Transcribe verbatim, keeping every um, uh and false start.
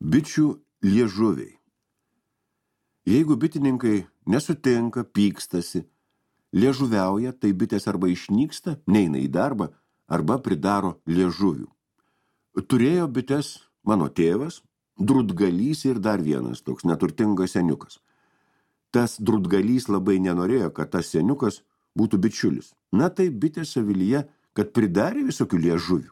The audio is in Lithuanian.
Bičių liežuviai. Jeigu bitininkai nesutinka, pykstasi, liežuviauja, tai bitės arba išnyksta, neina į darbą, arba pridaro liežuvių. Turėjo bites mano tėvas, drutgalys ir dar vienas toks neturtingas seniukas. Tas drutgalys labai nenorėjo, kad tas seniukas būtų bičiulis. Na tai bitės avilyje, kad pridarė visokių liežuvių.